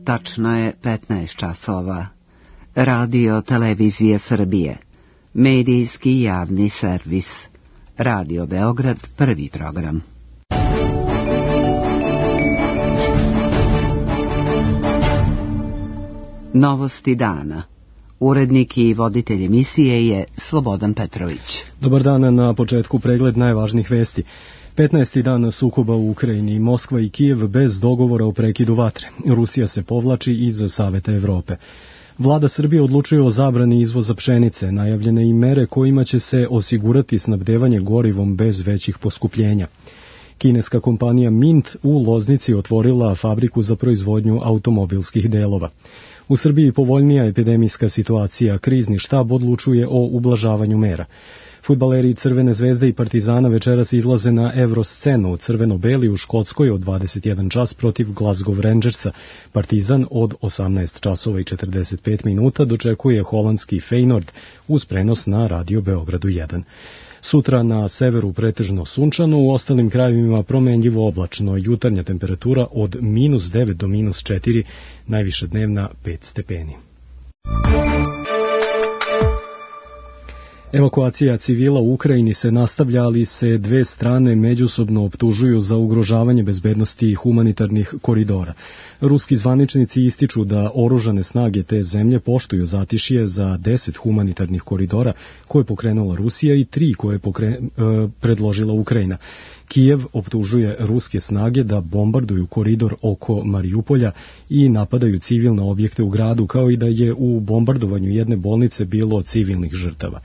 Tačno je 15 časova. Radio Televizije Srbije. Medijski javni servis. Radio Beograd, prvi program. Novosti dana. Urednik i voditelj emisije je Slobodan Petrović. Dobar dan, na početku pregled najvažnijih vesti. 15. dan sukoba u Ukrajini, Moskva i Kijev bez dogovora o prekidu vatre. Rusija se povlači iz Saveta Evrope. Vlada Srbije odlučuje o zabrani izvoza pšenice, najavljene i mere kojima će se osigurati snabdevanje gorivom bez većih poskupljenja. Kineska kompanija Mint u Loznici otvorila fabriku za proizvodnju automobilskih delova. U Srbiji povoljnija epidemijska situacija, krizni štab odlučuje o ublažavanju mera. Fudbaleri Crvene zvezde i Partizana večeras izlaze na Evroscenu crveno-beli u Škotskoj od 21 čas protiv Glasgow Rangersa. Partizan od 18 časova i 45 minuta dočekuje holandski Feyenoord uz prenos na Radio Beogradu 1. Sutra na severu pretežno sunčano, u ostalim krajevima promenljivo oblačno, jutarnja temperatura od -9 do -4, najviša dnevna 5 stepeni. Evakuacija civila u Ukrajini se nastavlja, ali se dve strane međusobno optužuju za ugrožavanje bezbednosti humanitarnih koridora. Ruski zvaničnici ističu da oružane snage te zemlje poštuju zatišje za 10 humanitarnih koridora koje je pokrenula Rusija i 3 koje je predložila Ukrajina. Kijev optužuje ruske snage da bombarduju koridor oko Marijupolja i napadaju civilne objekte u gradu, kao i da je u bombardovanju jedne bolnice bilo civilnih žrtava.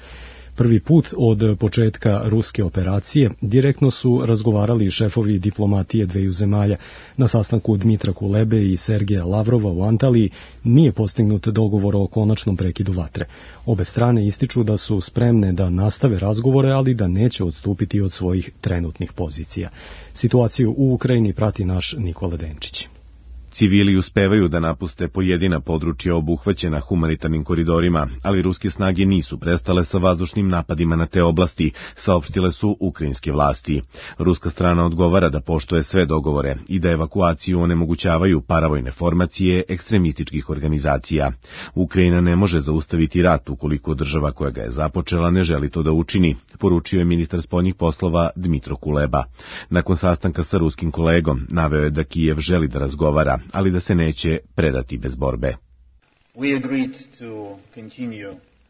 Prvi put od početka ruske operacije direktno su razgovarali šefovi diplomatije dveju zemalja. Na sastanku Dmitra Kulebe i Sergeja Lavrova u Antaliji nije postignut dogovor o konačnom prekidu vatre. Obe strane ističu da su spremne da nastave razgovore, ali da neće odstupiti od svojih trenutnih pozicija. Situaciju u Ukrajini prati naš Nikola Denčić. Civili uspevaju da napuste pojedina područja obuhvaćena humanitarnim koridorima, ali ruske snage nisu prestale sa vazdušnim napadima na te oblasti, saopštile su ukrajinske vlasti. Ruska strana odgovara da poštuje sve dogovore i da evakuaciju onemogućavaju paravojne formacije ekstremističkih organizacija. Ukrajina ne može zaustaviti rat ukoliko država koja ga je započela ne želi to da učini, poručio je ministar spoljnih poslova Dmitro Kuleba. Nakon sastanka sa ruskim kolegom naveo je da Kijev želi da razgovara, ali da se neće predati bez borbe.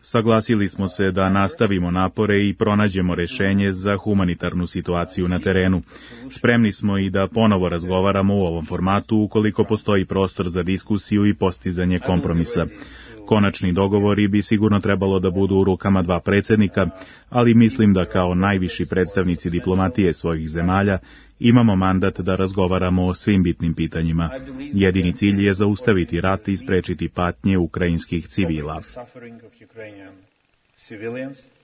Saglasili smo se da nastavimo napore i pronađemo rešenje za humanitarnu situaciju na terenu. Spremni smo i da ponovo razgovaramo u ovom formatu ukoliko postoji prostor za diskusiju i postizanje kompromisa. Konačni dogovori bi sigurno trebalo da budu u rukama dva predsjednika, ali mislim da kao najviši predstavnici diplomatije svojih zemalja imamo mandat da razgovaramo o svim bitnim pitanjima. Jedini cilj je zaustaviti rat i sprečiti patnje ukrajinskih civila.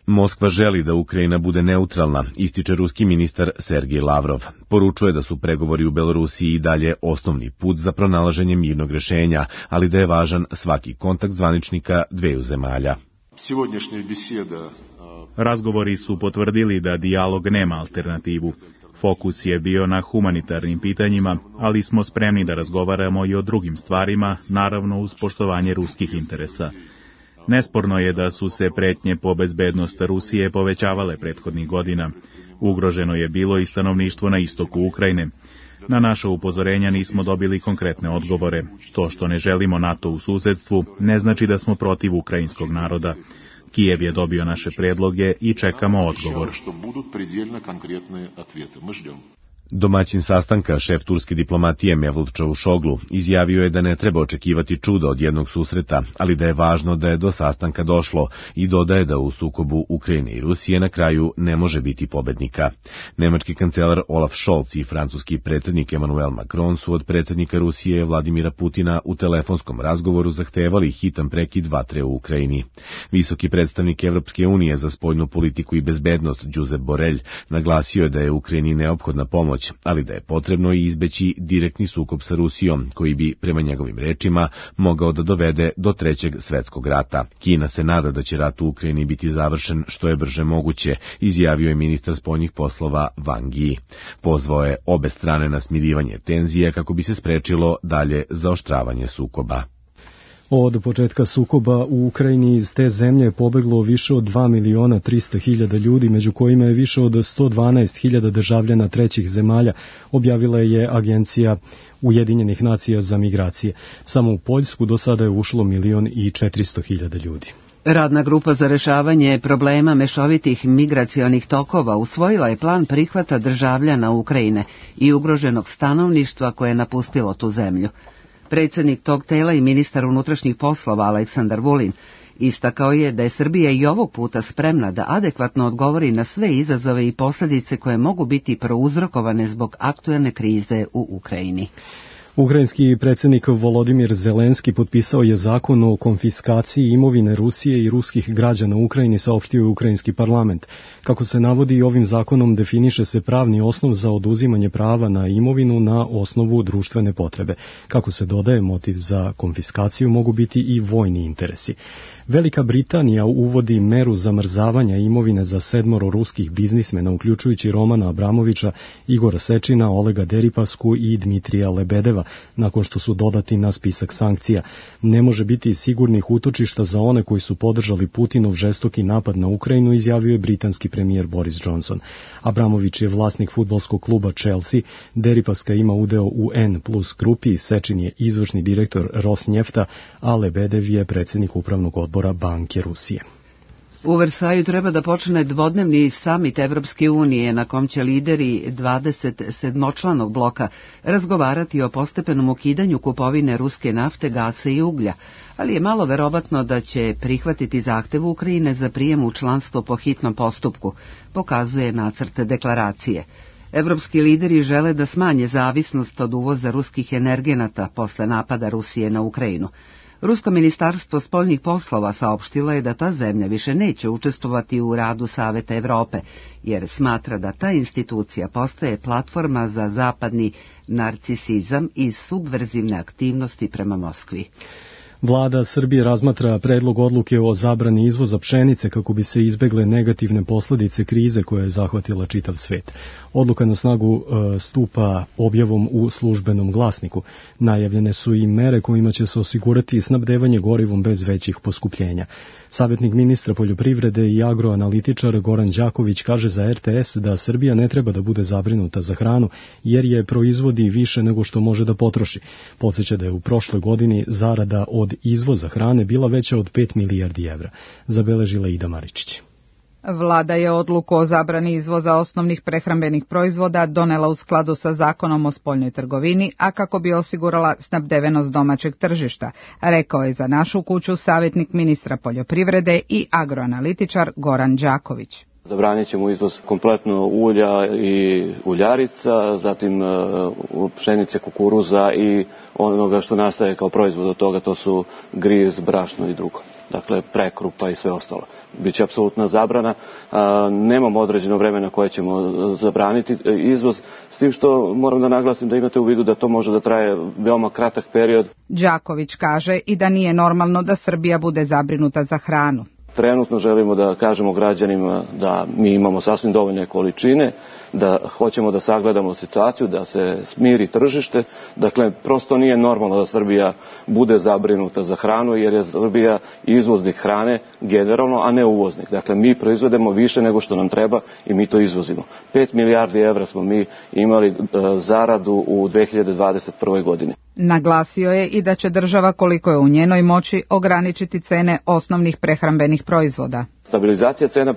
Moskva želi da Ukrajina bude neutralna, ističe ruski ministar Sergej Lavrov. Poručuje da su pregovori u Belorusiji i dalje osnovni put za pronalaženje mirnog rešenja, ali da je važan svaki kontakt zvaničnika dveju zemalja. Razgovori su potvrdili da dijalog nema alternativu. Fokus je bio na humanitarnim pitanjima, ali smo spremni da razgovaramo i o drugim stvarima, naravno uz poštovanje ruskih interesa. Nesporno je da su se pretnje po bezbednost Rusije povećavale prethodnih godina. Ugroženo je bilo i stanovništvo na istoku Ukrajine. Na naša upozorenja nismo dobili konkretne odgovore. To što ne želimo NATO u susedstvu ne znači da smo protiv ukrajinskog naroda. Kijev je dobio naše predloge i čekamo odgovor. Domaćin sastanka, šef turske diplomatije Mevlut Čavuşoglu, izjavio je da ne treba očekivati čuda od jednog susreta, ali da je važno da je do sastanka došlo i dodaje da u sukobu Ukrajine i Rusije na kraju ne može biti pobednika. Nemački kancelar Olaf Scholz i francuski predsjednik Emmanuel Macron su od predsjednika Rusije Vladimira Putina u telefonskom razgovoru zahtevali hitan prekid vatre u Ukrajini. Visoki predstavnik Evropske unije za spoljnu politiku i bezbednost Josep Borrell naglasio je da je Ukrajini neophodna pomoć pomoć, ali da je potrebno i izbeći direktni sukob sa Rusijom, koji bi, prema njegovim rečima, mogao da dovede do Trećeg svetskog rata. Kina se nada da će rat u Ukrajini biti završen što je brže moguće, izjavio je ministar spoljnih poslova Wang Yi. Pozvao je obe strane na smirivanje tenzije kako bi se sprečilo dalje zaoštravanje sukoba. Od početka sukoba u Ukrajini iz te zemlje je pobeglo više od 2.300.000 ljudi, među kojima je više od 112.000 državljana trećih zemalja, objavila je Agencija Ujedinjenih nacija za migracije. Samo u Poljsku do sada je ušlo 1.400.000 ljudi. Radna grupa za rešavanje problema mešovitih migracionih tokova usvojila je plan prihvata državljana Ukrajine i ugroženog stanovništva koje je napustilo tu zemlju. Predsjednik tog tela i ministar unutrašnjih poslova Aleksandar Vulin istakao je da je Srbija i ovog puta spremna da adekvatno odgovori na sve izazove i posljedice koje mogu biti prouzrokovane zbog aktuelne krize u Ukrajini. Ukrajinski predsjednik Volodimir Zelenski potpisao je zakon o konfiskaciji imovine Rusije i ruskih građana u Ukrajini, saopštio je ukrajinski parlament. Kako se navodi, ovim zakonom definiše se pravni osnov za oduzimanje prava na imovinu na osnovu društvene potrebe. Kako se dodaje, motiv za konfiskaciju mogu biti i vojni interesi. Velika Britanija uvodi meru zamrzavanja imovine za 7 ruskih biznismena, uključujući Romana Abramovića, Igora Sečina, Olega Deripasku i Dmitrija Lebedeva, nakon što su dodati na spisak sankcija. Ne može biti sigurnih utočišta za one koji su podržali Putinov žestoki napad na Ukrajinu, izjavio je britanski premijer Boris Johnson. Abramović je vlasnik fudbalskog kluba Chelsea, Deripaska ima udeo u N+ grupi, Sečin je izvršni direktor Rosnjefta, a Lebedev je predsjednik upravnog odbora Banke Rusije. U Versaju treba da počne dvodnevni samit Evropske unije na kom će lideri 27-članog bloka razgovarati o postepenom ukidanju kupovine ruske nafte, gasa i uglja, ali je malo verovatno da će prihvatiti zahtev Ukrajine za prijem u članstvo po hitnom postupku, pokazuje nacrt deklaracije. Evropski lideri žele da smanje zavisnost od uvoza ruskih energenata posle napada Rusije na Ukrajinu. Rusko ministarstvo spoljnih poslova saopštilo je da ta zemlja više neće učestvovati u radu Saveta Evrope, jer smatra da ta institucija postaje platforma za zapadni narcisizam i subverzivne aktivnosti prema Moskvi. Vlada Srbije razmatra predlog odluke o zabrani izvoza pšenice kako bi se izbegle negativne posljedice krize koja je zahvatila čitav svet. Odluka na snagu stupa objavom u službenom glasniku. Najavljene su i mere kojima će se osigurati snabdevanje gorivom bez većih poskupljenja. Savjetnik ministra poljoprivrede i agroanalitičar Goran Đaković kaže za RTS da Srbija ne treba da bude zabrinuta za hranu jer je proizvodi više nego što može da potroši. Podsjeća da je u prošloj godini zarada od izvoza hrane bila veća od 5 milijardi evra, zabeležila Ida Maričić. Vlada je odluku o zabrani izvoza osnovnih prehrambenih proizvoda donela u skladu sa Zakonom o spoljnoj trgovini, a kako bi osigurala snabdevenost domaćeg tržišta, rekao je za Našu kuću savjetnik ministra poljoprivrede i agroanalitičar Goran Đaković. Zabranit ćemo izvoz kompletno ulja i uljarica, zatim pšenice, kukuruza i onoga što nastaje kao proizvod od toga, to su griz, brašno i drugo. Dakle, prekrupa i sve ostalo. Biće apsolutna zabrana. Nemamo određeno vreme na koje ćemo zabraniti izvoz, s tim što moram da naglasim da imate u vidu da to može da traje veoma kratak period. Đaković kaže i da nije normalno da Srbija bude zabrinuta za hranu. Trenutno želimo da kažemo građanima da mi imamo sasvim dovoljne količine, da hoćemo da sagledamo situaciju, da se smiri tržište. Dakle, prosto nije normalno da Srbija bude zabrinuta za hranu, jer je Srbija izvoznik hrane generalno, a ne uvoznik. Dakle, mi proizvedemo više nego što nam treba i mi to izvozimo. 5 milijardi evra smo mi imali zaradu u 2021. godini. Naglasio je i da će država, koliko je u njenoj moći, ograničiti cene osnovnih prehrambenih proizvoda. Stabilizacija cena,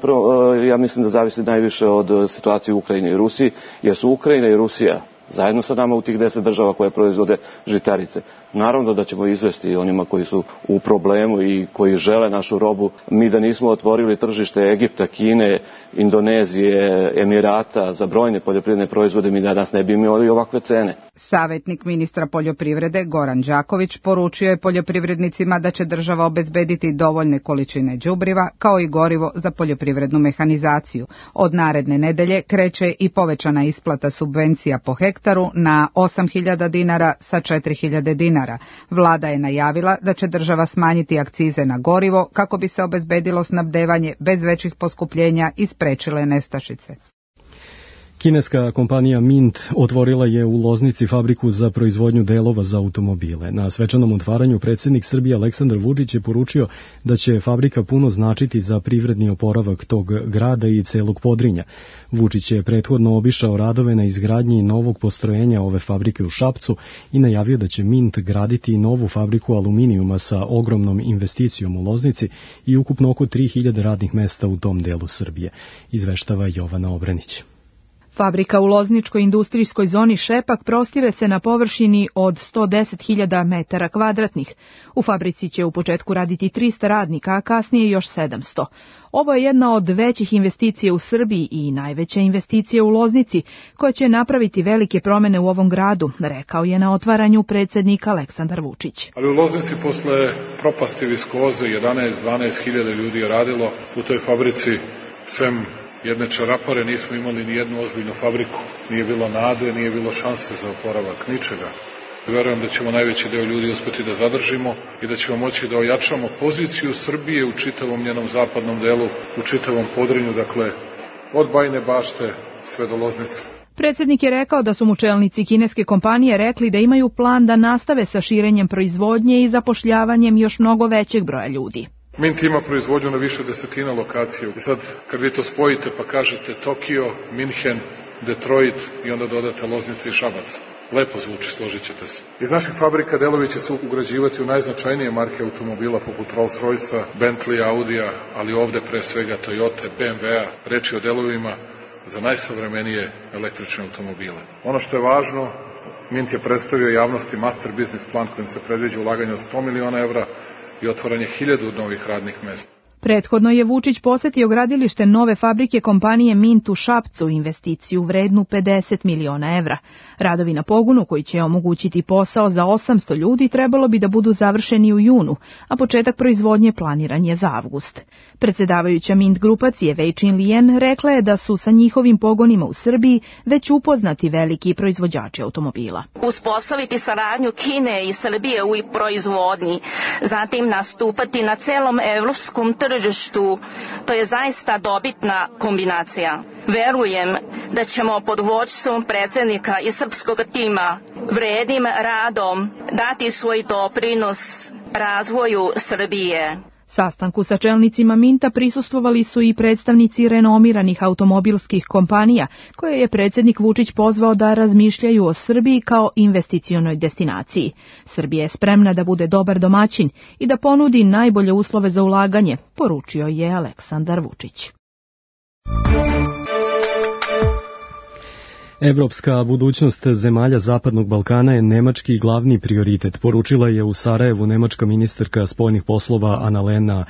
ja mislim da zavisi najviše od situacije u Ukrajini i Rusiji, jer su Ukrajina i Rusija zajedno sa nama u tih 10 država koje proizvode žitarice. Naravno da ćemo izvesti onima koji su u problemu i koji žele našu robu. Mi da nismo otvorili tržište Egipta, Kine, Indonezije, Emirata za brojne poljoprivredne proizvode, mi danas ne bi imali ovakve cene. Savjetnik ministra poljoprivrede Goran Đaković poručio je poljoprivrednicima da će država obezbediti dovoljne količine đubriva kao i gorivo za poljoprivrednu mehanizaciju. Od naredne nedelje kreće i povećana isplata subvencija po hektaru na 8.000 dinara sa 4.000 dinara. Vlada je najavila da će država smanjiti akcize na gorivo kako bi se obezbedilo snabdevanje bez većih poskupljenja i sprečile nestašice. Kineska kompanija Mint otvorila je u Loznici fabriku za proizvodnju delova za automobile. Na svečanom otvaranju predsjednik Srbije Aleksandar Vučić je poručio da će fabrika puno značiti za privredni oporavak tog grada i celog Podrinja. Vučić je prethodno obišao radove na izgradnji novog postrojenja ove fabrike u Šapcu i najavio da će Mint graditi novu fabriku aluminijuma sa ogromnom investicijom u Loznici i ukupno oko 3.000 radnih mesta u tom delu Srbije, izveštava Jovana Obrenić. Fabrika u lozničkoj industrijskoj zoni Šepak prostire se na površini od 110.000 metara kvadratnih. U fabrici će u početku raditi 300 radnika, a kasnije još 700. Ovo je jedna od većih investicija u Srbiji i najveća investicija u Loznici, koja će napraviti velike promene u ovom gradu, rekao je na otvaranju predsjednik Aleksandar Vučić. Ali u Loznici posle propasti viskoze 11-12.000 ljudi je radilo u toj fabrici, sem jedne čarapare nismo imali ni jednu ozbiljnu fabriku. Nije bilo nade, nije bilo šanse za oporavak, ničega. Verujem da ćemo najveći deo ljudi uspeti da zadržimo i da ćemo moći da ojačamo poziciju Srbije u čitavom njenom zapadnom delu, u čitavom Podrinju, dakle od Bajine Bašte sve do Loznice. Predsjednik je rekao da su mu čelnici kineske kompanije rekli da imaju plan da nastave sa širenjem proizvodnje i zapošljavanjem još mnogo većeg broja ljudi. Mint ima proizvodnju na više desetina lokacija. I sad, kad vi to spojite pa kažete Tokio, Minhen, Detroit i onda dodate Loznica i Šabac. Lepo zvuči, složit ćete se. Iz naših fabrika delovi će se ugrađivati u najznačajnije marke automobila poput Rolls-Roycea, Bentley, Audija, ali ovde pre svega Toyota, BMW-a, reči o delovima za najsavremenije električne automobile. Ono što je važno, Mint je predstavio javnosti master business plan kojim se predviđa ulaganje od 100 miliona evra i otvaranje 1000 novih radnih mesta. Prethodno je Vučić posetio gradilište nove fabrike kompanije Mint u Šapcu, investiciju vrednu 50 miliona evra. Radovi na pogonu koji će omogućiti posao za 800 ljudi trebalo bi da budu završeni u junu, a početak proizvodnje planiran je za avgust. Predsjedavajuća Mint grupacije Wei Chin-lien rekla je da su sa njihovim pogonima u Srbiji već upoznati veliki proizvođači automobila. Uspostaviti saradnju Kine i Srbije u proizvodnji, zatim nastupati na celom evropskom tržištu, to je zaista dobitna kombinacija. Verujem da ćemo pod vođstvom predsjednika i srpskog tima vrednim radom dati svoj doprinos razvoju Srbije. Sastanku sa čelnicima Minta prisustvovali su i predstavnici renomiranih automobilskih kompanija, koje je predsjednik Vučić pozvao da razmišljaju o Srbiji kao investicionoj destinaciji. Srbija je spremna da bude dobar domaćin i da ponudi najbolje uslove za ulaganje, poručio je Aleksandar Vučić. Evropska budućnost zemalja Zapadnog Balkana je nemački glavni prioritet, poručila je u Sarajevu nemačka ministarka spoljnih poslova Annalena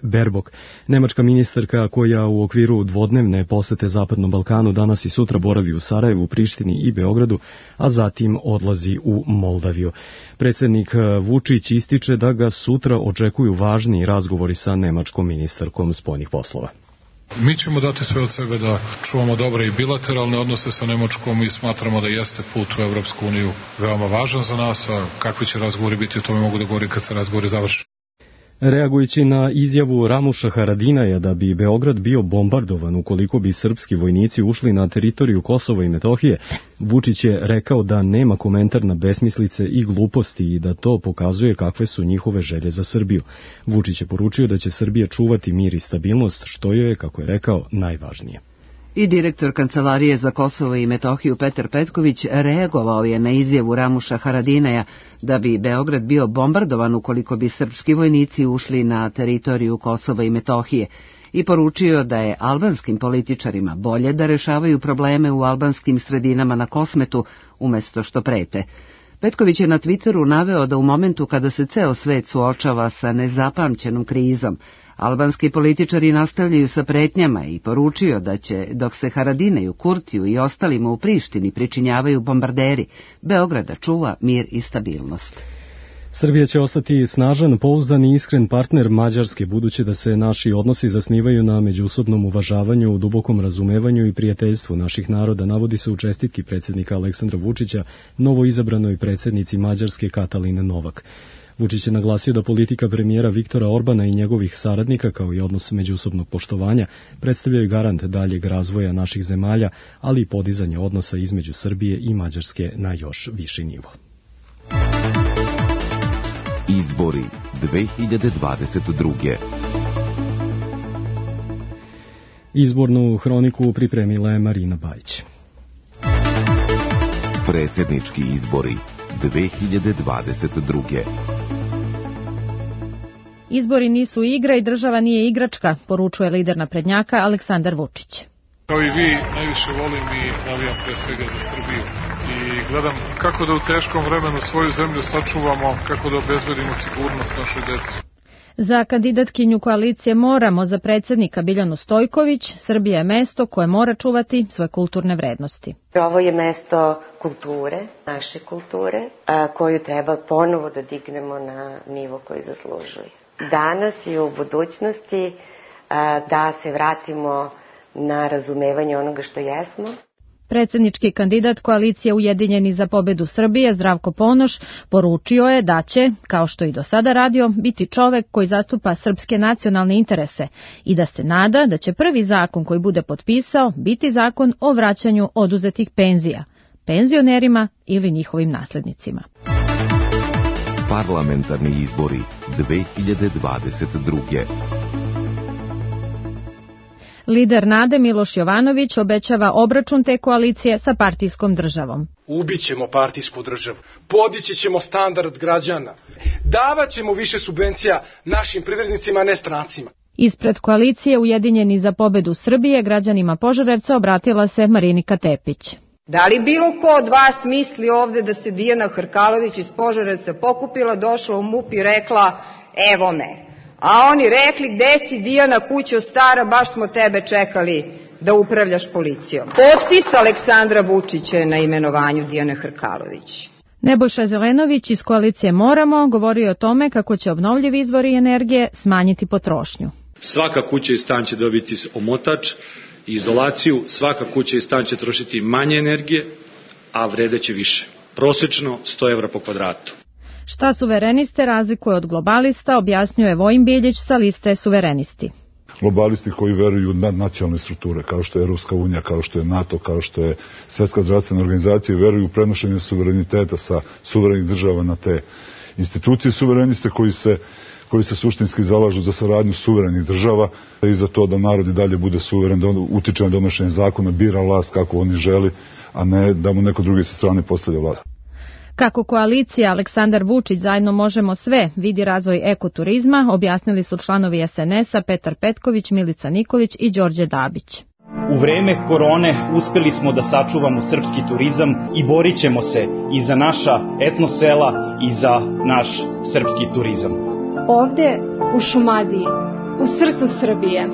Baerbock. Nemačka ministarka koja u okviru dvodnevne posete Zapadnom Balkanu danas i sutra boravi u Sarajevu, Prištini i Beogradu, a zatim odlazi u Moldaviju. Predsjednik Vučić ističe da ga sutra očekuju važni razgovori sa nemačkom ministarkom spoljnih poslova. Mi ćemo dati sve od sebe da čuvamo dobre i bilateralne odnose sa Nemačkom i smatramo da jeste put u Evropsku uniju veoma važan za nas, a kakvi će razgovori biti, o tome mogu da govorim kad se razgovori završi. Reagujući na izjavu Ramuša Haradinaja da bi Beograd bio bombardovan ukoliko bi srpski vojnici ušli na teritoriju Kosova i Metohije, Vučić je rekao da nema komentar na besmislice i gluposti i da to pokazuje kakve su njihove želje za Srbiju. Vučić je poručio da će Srbija čuvati mir i stabilnost, što je, kako je rekao, najvažnije. I direktor Kancelarije za Kosovo i Metohiju Petar Petković reagovao je na izjavu Ramuša Haradinaja da bi Beograd bio bombardovan ukoliko bi srpski vojnici ušli na teritoriju Kosova i Metohije i poručio da je albanskim političarima bolje da rešavaju probleme u albanskim sredinama na Kosmetu umjesto što prete. Petković je na Twitteru naveo da u momentu kada se ceo svet suočava sa nezapamćenom krizom, Albanski političari nastavljaju sa pretnjama i poručio da će, dok se Haradinaju, Kurtiju i ostalima u Prištini pričinjavaju bombarderi, Beograda čuva mir i stabilnost. Srbija će ostati snažan, pouzdan i iskren partner Mađarske, budući da se naši odnosi zasnivaju na međusobnom uvažavanju, dubokom razumevanju i prijateljstvu naših naroda, navodi se u čestitki predsjednika Aleksandra Vučića novoizabranoj predsjednici Mađarske Katalin Novak. Vučić je naglasio da politika premijera Viktora Orbana i njegovih saradnika, kao i odnos međusobnog poštovanja, predstavljaju garant daljeg razvoja naših zemalja, ali i podizanje odnosa između Srbije i Mađarske na još viši nivo. Izbori 2022. Izbornu hroniku pripremila je Marina Bajić. Predsjednički izbori 2022. Izbori nisu igra i država nije igračka, poručuje lider naprednjaka Aleksandar Vučić. Kao i vi, najviše volim i navijam pre svega za Srbiju. I gledam kako da u teškom vremenu svoju zemlju sačuvamo, kako da obezbedimo sigurnost našoj deci. Za kandidatkinju koalicije Moramo za predsjednika Biljanu Stojković, Srbija je mesto koje mora čuvati svoje kulturne vrednosti. Ovo je mesto kulture, naše kulture, koju treba ponovo da dignemo na nivo koji zaslužuje. Danas i u budućnosti da se vratimo na razumevanje onoga što jesmo. Predsjednički kandidat koalicije Ujedinjeni za pobedu Srbije, Zdravko Ponoš, poručio je da će, kao što i do sada radio, biti čovek koji zastupa srpske nacionalne interese i da se nada da će prvi zakon koji bude potpisao biti zakon o vraćanju oduzetih penzija, penzionerima ili njihovim naslednicima. Parlamentarni izbori 2022. Lider Nade Miloš Jovanović obećava obračun te koalicije sa partijskom državom. Ubićemo partijsku državu, podići ćemo standard građana, davat ćemo više subvencija našim privrednicima, a ne strancima. Ispred koalicije Ujedinjeni za pobedu Srbije građanima Požarevca obratila se Marinika Tepić. Da li bilo ko od vas misli ovde da se Dijana Hrkalović iz Požarevca pokupila, došla u MUP i rekla evo me? A oni rekli, gde si Dijana, kućo stara, baš smo tebe čekali da upravljaš policijom. Potpis Aleksandra Vučića je na imenovanju Dijane Hrkalović. Nebojša Zelenović iz koalicije Moramo govorio o tome kako će obnovljivi izvori energije smanjiti potrošnju. Svaka kuća i stan će dobiti omotač i izolaciju, svaka kuća i stan će trošiti manje energije, a vredeće više. Prosečno 100 evra po kvadratu. Šta suvereniste razlikuje od globalista, objasnjuje Vojin Biljić sa liste Suverenisti. Globalisti koji veruju u nadnacionalne strukture, kao što je Evropska unija, kao što je NATO, kao što je Svjetska zdravstvena organizacija, veruju u prenošenje suvereniteta sa suverenih država na te institucije. Suvereniste koji se suštinski zalažu za saradnju suverenih država i za to da narod i dalje bude suveren, da utiče na donošenje zakona, bira vlast kako oni želi, a ne da mu neko drugi sa strane postavlja vlast. Kako koalicija Aleksandar Vučić zajedno možemo sve vidi razvoj ekoturizma, objasnili su članovi SNS-a Petar Petković, Milica Nikolić i Đorđe Dabić. U vreme korone uspeli smo da sačuvamo srpski turizam i borit ćemo se i za naša etnosela i za naš srpski turizam. Ovde u Šumadiji, u srcu Srbije,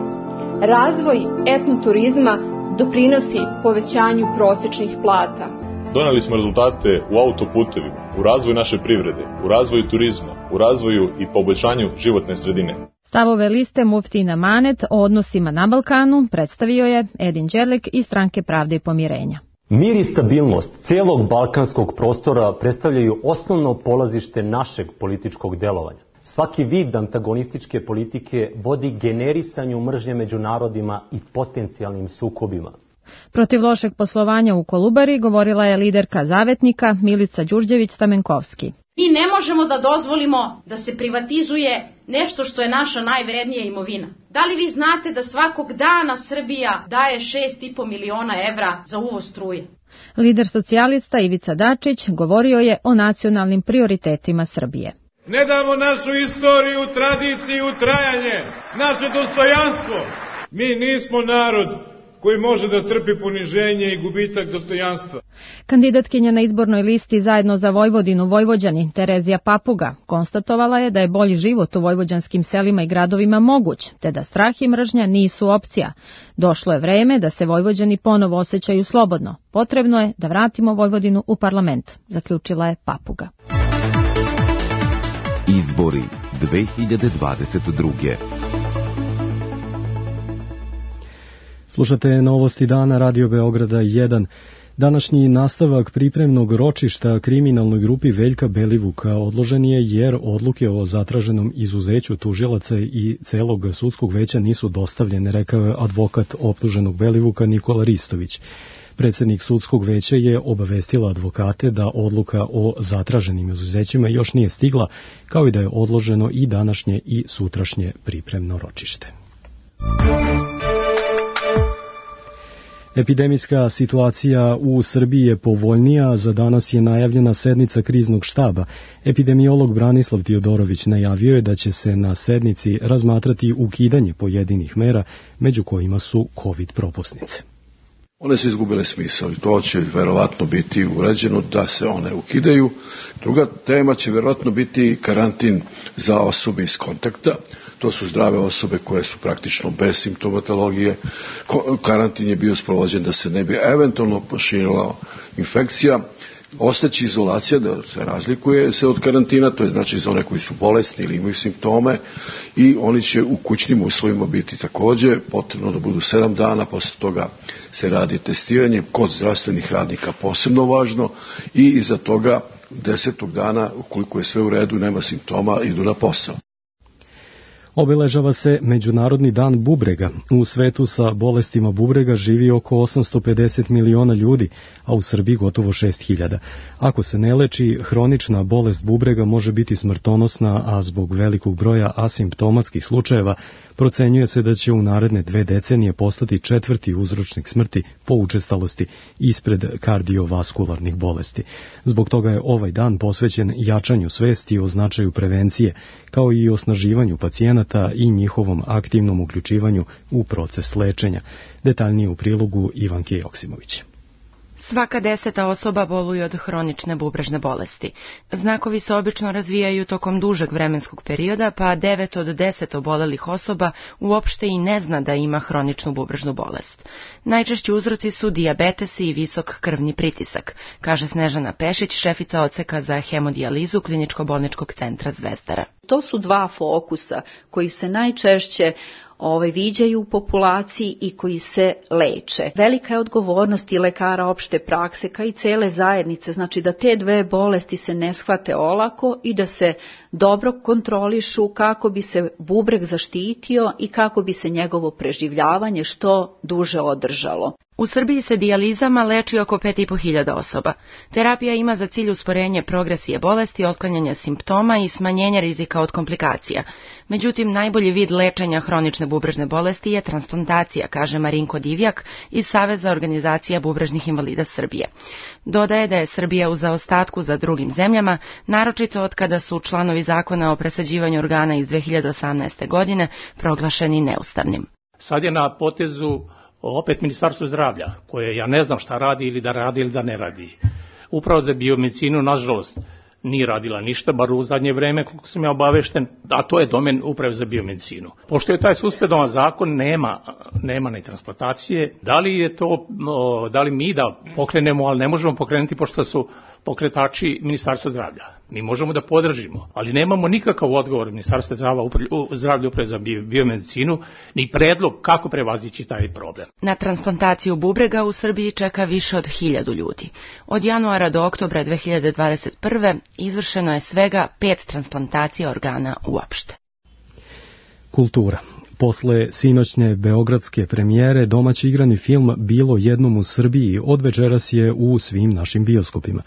razvoj etnoturizma doprinosi povećanju prosečnih plata. Doneli smo rezultate u autoputevima, u razvoju naše privrede, u razvoju turizma, u razvoju i poboljšanju životne sredine. Stavove liste Muftina Manet o odnosima na Balkanu predstavio je Edin Đerlek iz Stranke Pravde i pomirenja. Mir i stabilnost cijelog balkanskog prostora predstavljaju osnovno polazište našeg političkog delovanja. Svaki vid antagonističke politike vodi generisanju mržnje među narodima i potencijalnim sukobima. Protiv lošeg poslovanja u Kolubari govorila je liderka Zavetnika Milica Đurđević-Stamenkovski. Mi ne možemo da dozvolimo da se privatizuje nešto što je naša najvrednija imovina. Da li vi znate da svakog dana Srbija daje 6,5 miliona evra za uvoz struje? Lider socijalista Ivica Dačić govorio je o nacionalnim prioritetima Srbije. Ne damo našu istoriju, tradiciju, trajanje, naše dostojanstvo. Mi nismo narod koji može da trpi poniženje i gubitak dostojanstva. Kandidatkinja na izbornoj listi Zajedno za Vojvodinu Vojvođani Terezija Papuga konstatovala je da je bolji život u vojvođanskim selima i gradovima moguć, te da strah i mržnja nisu opcija. Došlo je vreme da se Vojvođani ponovo osjećaju slobodno. Potrebno je da vratimo Vojvodinu u parlament, zaključila je Papuga. Izbori 2022. Slušate Novosti dana Radio Beograda 1. Današnji nastavak pripremnog ročišta kriminalnoj grupi Veljka Belivuka odložen je jer odluke o zatraženom izuzeću tužilaca i celog sudskog veća nisu dostavljene, rekao je advokat optuženog Belivuka Nikola Ristović. Predsjednik sudskog veća je obavestila advokate da odluka o zatraženim izuzećima još nije stigla, kao i da je odloženo i današnje i sutrašnje pripremno ročište. Epidemijska situacija u Srbiji je povoljnija, za danas je najavljena sednica kriznog štaba. Epidemiolog Branislav Tiodorović najavio je da će se na sednici razmatrati ukidanje pojedinih mera, među kojima su COVID propusnice. One su izgubile smisao i to će verovatno biti urađeno da se one ukidaju. Druga tema će verovatno biti karantin za osobe iz kontakta. To su zdrave osobe koje su praktično bez simptomatologije. Karantin je bio sprovođen da se ne bi eventualno proširila infekcija. Ostaće izolacija, da se razlikuje se od karantina, to je znači za one koji su bolesni ili imaju simptome, i oni će u kućnim uslovima biti takođe potrebno da budu 7 dana, posle toga se radi testiranje kod zdravstvenih radnika, posebno važno, i iza toga 10. dana, ukoliko je sve u redu i nema simptoma, idu na posao. Obeležava se Međunarodni dan bubrega. U svetu sa bolestima bubrega živi oko 850 miliona ljudi, a u Srbiji gotovo 6.000. Ako se ne leči, hronična bolest bubrega može biti smrtonosna, a zbog velikog broja asimptomatskih slučajeva procenjuje se da će u naredne 2 decenije postati 4. uzročnik smrti po učestalosti ispred kardiovaskularnih bolesti. Zbog toga je ovaj dan posvećen jačanju svesti o značaju prevencije, kao i osnaživanju pacijenata i njihovom aktivnom uključivanju u proces lečenja. Detaljnije u prilogu Ivanke Joksimović. Svaka 10. osoba boluje od hronične bubrežne bolesti. Znakovi se obično razvijaju tokom dužeg vremenskog perioda, pa 9 od 10 obolelih osoba uopšte i ne zna da ima hroničnu bubrežnu bolest. Najčešći uzroci su dijabetes i visok krvni pritisak, kaže Snežana Pešić, šefica odseka za hemodijalizu Kliničko-bolničkog centra Zvezdara. To su 2 fokusa koji se najčešće viđaju u populaciji i koji se leče. Velika je odgovornost i lekara opšte prakse, kao i cele zajednice, znači da te 2 bolesti se ne shvate olako i da se dobro kontrolišu kako bi se bubreg zaštitio i kako bi se njegovo preživljavanje što duže održalo. U Srbiji se dijalizama leči oko 5.500 osoba. Terapija ima za cilj usporenje progresije bolesti, otklanjanje simptoma i smanjenje rizika od komplikacija. Međutim, najbolji vid lečenja hronične bubrežne bolesti je transplantacija, kaže Marinko Divjak iz Saveza organizacija bubrežnih invalida Srbije. Dodaje da je Srbija u zaostatku za drugim zemljama, naročito od kada su članovi zakona o presađivanju organa iz 2018. godine proglašeni neustavnim. Sad je na potezu opet Ministarstvo zdravlja, koje ja ne znam šta radi ili da ne radi. Upravo za biomedicinu, nažalost, nije radila ništa, bar u zadnje vreme, koliko sam ja obavešten, a to je domen uprave za biomedicinu. Pošto je taj suspendovan zakon, nema ni transplantacije. Da li mi da pokrenemo, ali ne možemo pokrenuti pošto su pokretači Ministarstva zdravlja. Mi možemo da podržimo, ali nemamo nikakav odgovor Ministarstva zdravlja uprave za biomedicinu, ni predlog kako prevazići taj problem. Na transplantaciju bubrega u Srbiji čeka više od 1000 ljudi. Od januara do oktobra 2021. izvršeno je svega 5 transplantacija organa uopšte. Kultura. Posle sinoćne beogradske premijere domaći igrani film Bilo jednom u Srbiji od večeras je u svim našim bioskopima,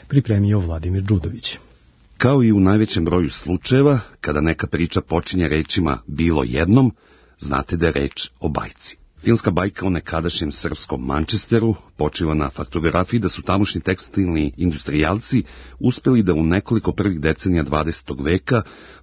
pripremio Vladimir Đudović. Kao i u najvećem broju slučajeva, kada neka priča počinje rečima bilo jednom, znate da je reč o bajci. Filmska bajka o nekadašnjem srpskom Manchesteru počiva na faktografiji da su tamošnji tekstilni industrijalci uspeli da u nekoliko prvih decenija 20. veka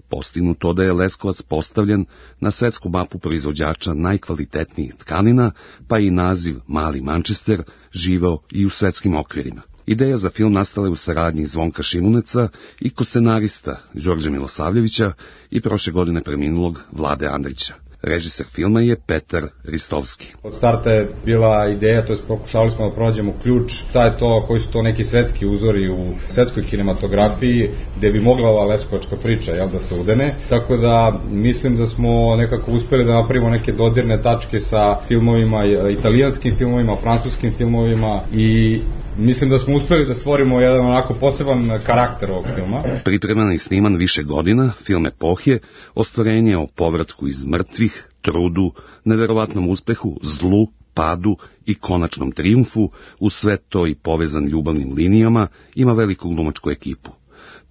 postignu to da je Leskovac postavljen na svetsku mapu proizvođača najkvalitetnijih tkanina, pa i naziv Mali Manchester živeo i u svetskim okvirima. Ideja za film nastala je u saradnji Zvonka Šimuneca i scenarista Đorđa Milosavljevića i prošle godine preminulog Vlade Andrića. Režiser filma je Petar Ristovski. Od starta je bila ideja, to je pokušali smo da pronađemo ključ, šta je to, koji su to neki svetski uzori u svetskoj kinematografiji gde bi mogla ova leskovačka priča da se udene. Tako da mislim da smo nekako uspeli da napravimo neke dodirne tačke sa filmovima, italijanskim filmovima, francuskim filmovima i mislim da smo uspeli da stvorimo jedan onako poseban karakter ovog filma. Pripreman i sniman više godina, film Epohje, ostvarenje o povratku iz mrtvih, trudu, neverovatnom uspehu, zlu, padu i konačnom trijumfu, uz sve to i povezan ljubavnim linijama, ima veliku glumačku ekipu.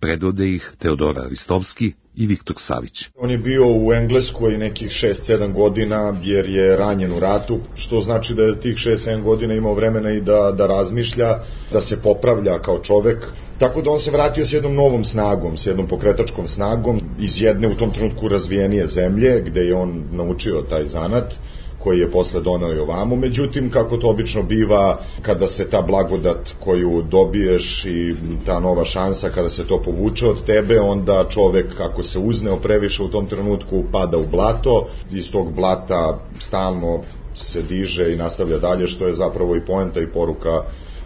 Predvode ih Teodora Ristovski i Viktor Savić. On je bio u Engleskoj nekih 6-7 godina jer je ranjen u ratu, što znači da je tih 6-7 godina imao vremena i da razmišlja, da se popravlja kao čovek. Tako da on se vratio s jednom novom snagom, s jednom pokretačkom snagom iz jedne u tom trenutku razvijenije zemlje gde je on naučio taj zanat koji je posle doneo i ovamo. Međutim, kako to obično biva, kada se ta blagodat koju dobiješ i ta nova šansa, kada se to povuče od tebe, onda čovek, ako se uzneo previše u tom trenutku, pada u blato, iz tog blata stalno se diže i nastavlja dalje, što je zapravo i poenta i poruka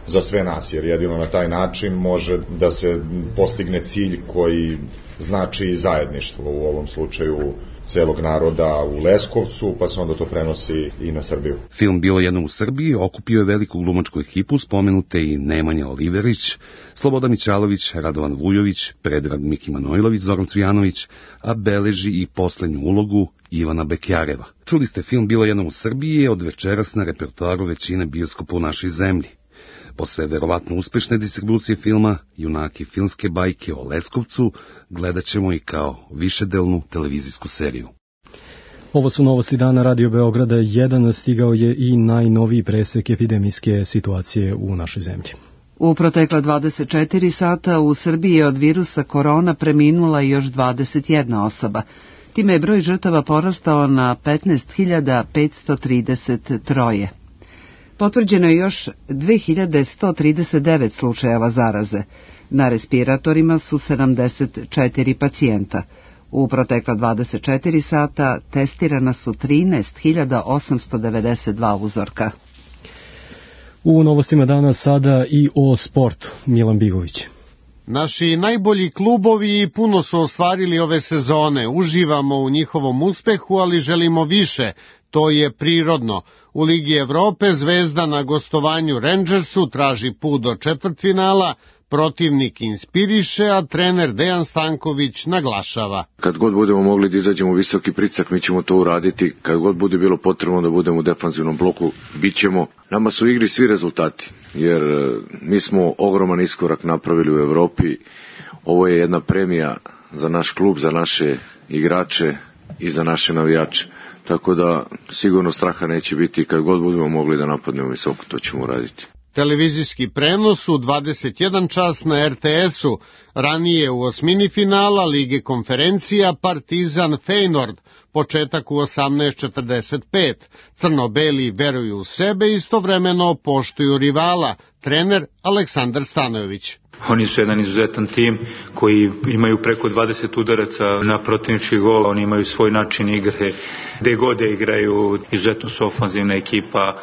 za sve nas, jer jedino na taj način može da se postigne cilj koji znači zajedništvo, u ovom slučaju celog naroda u Leskovcu, pa se onda to prenosi i na Srbiju. Film Bilo jednom u Srbiji okupio je veliku glumačku ekipu, spomenute i Nemanja Oliverić, Slobodan Mićalović, Radovan Vujović, Predrag Miki Manojlović, Zoran Cvijanović, a beleži i poslednju ulogu Ivana Bekjareva. Čuli ste film Bilo jednom u Srbiji je od večeras na repertoaru većine bioskopa u našoj zemlji. Posle verovatno uspešne distribucije filma, junaki filmske bajke o Leskovcu gledat ćemo i kao višedelnu televizijsku seriju. Ovo su novosti dana Radio Beograda 1, stigao je i najnoviji presek epidemijske situacije u našoj zemlji. U protekla 24 sata u Srbiji je od virusa korona preminula još 21 osoba. Time je broj žrtava porastao na 15.533. Potvrđeno je još 2139 slučajeva zaraze. Na respiratorima su 74 pacijenta. U protekla 24 sata testirana su 13.892 uzorka. U novostima dana sada i o sportu. Milan Bigović. Naši najbolji klubovi puno su ostvarili ove sezone. Uživamo u njihovom uspehu, ali želimo više. To je prirodno. U Ligi Evrope Zvezda na gostovanju Rangersu traži put do četvrtfinala, protivnik inspiriše, a trener Dejan Stanković naglašava. Kad god budemo mogli da izađemo u visoki pricak, mi ćemo to uraditi. Kad god bude bilo potrebno da budemo u defanzivnom bloku, bit ćemo. Nama su u igri svi rezultati, jer mi smo ogroman iskorak napravili u Evropi. Ovo je jedna premija za naš klub, za naše igrače i za naše navijače. Tako da sigurno straha neće biti, kad god budemo mogli da napadnemo visoko, to ćemo uraditi. Televizijski prenos u 21 čas na RTS-u, ranije u osmini finala Lige konferencija Partizan Feyenoord, početak u 18:45. Crno-beli veruju u sebe, istovremeno poštuju rivala, trener Aleksandar Stanojević. Oni su jedan izuzetan tim koji imaju preko 20 udaraca na protivnički gol, oni imaju svoj način igre, gde god igraju, izuzetno su ofanzivna ekipa,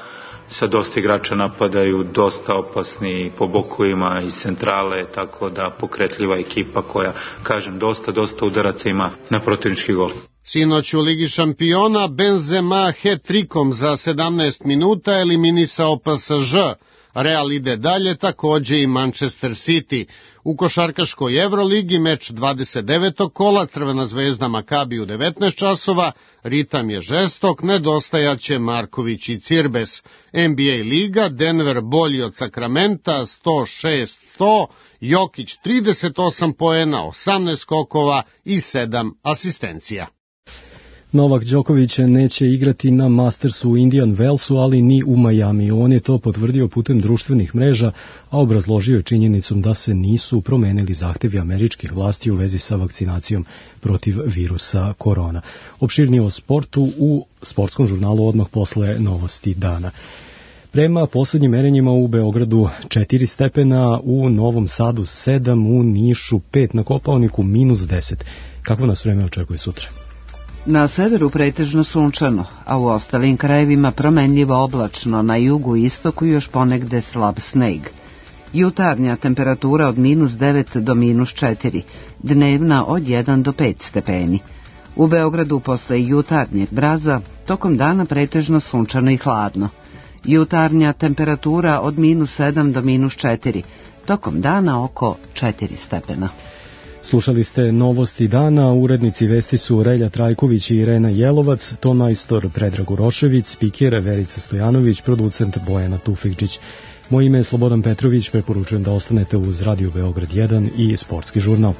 sa dosta igrača napadaju, dosta opasni po bokovima iz centrale, tako da pokretljiva ekipa koja, kažem, dosta udaraca ima na protivnički gol. Sinoć u Ligi šampiona Benzema hat-trikom za 17 minuta eliminisao PSG. Real ide dalje, takođe i Manchester City. U košarkaškoj Evroligi meč 29. kola, Crvena zvezda Makabi u 19 časova, ritam je žestok, nedostajaće Marković i Cirbes. NBA liga, Denver bolji od Sakramenta, 106-100, Jokić 38 poena, 18 skokova i 7 asistencija. Novak Đoković neće igrati na Mastersu u Indian Wellsu, ali ni u Majamiju. On je to potvrdio putem društvenih mreža, a obrazložio je činjenicom da se nisu promenili zahtevi američkih vlasti u vezi sa vakcinacijom protiv virusa korona. Opširnije o sportu u sportskom žurnalu odmah posle novosti dana. Prema poslednjim merenjima u Beogradu 4 stepena, u Novom Sadu 7, u Nišu 5, na Kopaoniku -10. Kako nas vreme očekuje sutra? Na severu pretežno sunčano, a u ostalim krajevima promenljivo oblačno, na jugu i istoku još ponegde slab sneg. Jutarnja temperatura od -9 do -4, dnevna od 1 do 5 stepeni. U Beogradu posle jutarnjeg mraza, tokom dana pretežno sunčano i hladno. Jutarnja temperatura od -7 do -4, tokom dana oko 4 stepena. Slušali ste novosti dana, urednici vesti su Relja Trajković i Irena Jelovac, tonmajstor Predrag Urošević, spiker Verica Stojanović, producent Bojana Tufekđić. Moje ime je Slobodan Petrović, preporučujem da ostanete uz Radio Beograd 1 i Sportski žurnal.